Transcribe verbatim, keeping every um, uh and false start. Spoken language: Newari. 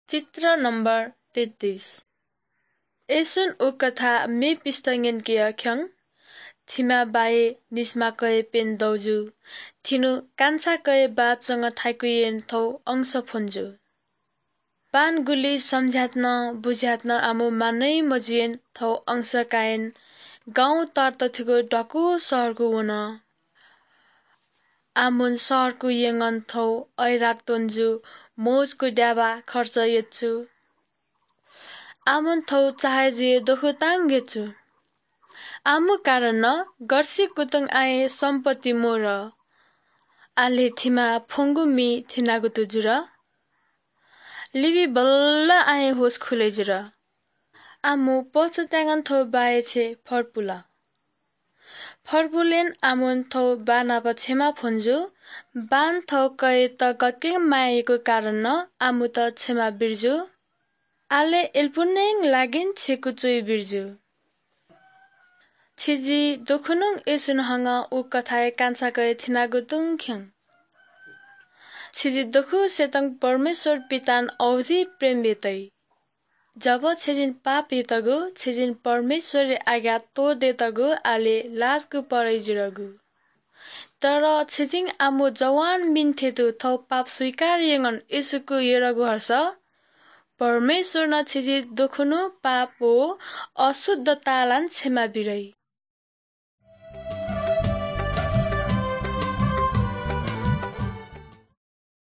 चित्र नम्बर तेत्तिस। येशूं उ कथा मेपिन्त न्यंकेगु खःसा, थिमा बाय् निस्मा कय् प्यन्हु दौ जू। थिनु कांछा कय् बाः च्वंगु थाय्‌कु येँय् थौं अंश फ्वन जू। बां गुलि सम्झयात नं बुझ्यात नं आमु मानय् मजुयाः थौं अंश काय् गां तःधंथुगु दक्व शहरय् वन। आमुं शहरय् यंगु थौं अय्‌राक त्वन जू, मोजकूगु द्याबा खर्च यात जू। आमुं थौं चाहे जुइ दखुतां गय् जू। आमु कारणं गथे कुतुं आँय् सम्पत्ति मरु। आले थिमा फ्वंगु मि थिनागु तु जुल। लिबि बल्ल आँय् होश खुले जुल। आमु पछुताय्‌गु थौं बाय् छेँ फर्पुल। फर्पुलेन आमुं थौं बानाप क्षमा फ्वन जू। बां थौं कय्‌यात गथे माया याःगु कारणं आमुत क्षमा बिर्जु। आले एल्पुनें लागिं छेँ कुचुइ बिर्जु। छिजि दखुनुं येशूं हंगु उ कथाय् कांछा कय् थिनागु तुं खँ। छिजि दखुसेतं परमेश्वर पितां औधी प्रेम बेतइ। जब छिजिं पाप यातगु, छिजिं परमेश्वरया आज्ञा त्वःतेतगु आले लाजकू परय् जुरगु। तर छिजिं आमु जवान मिन्थेतु थौं पाप स्वीकार यंगन येशूकू यरगु हर्ष, परमेश्वरं छिजि दखुनु पाप व अशुद्ध तालां क्षमा बिरइ।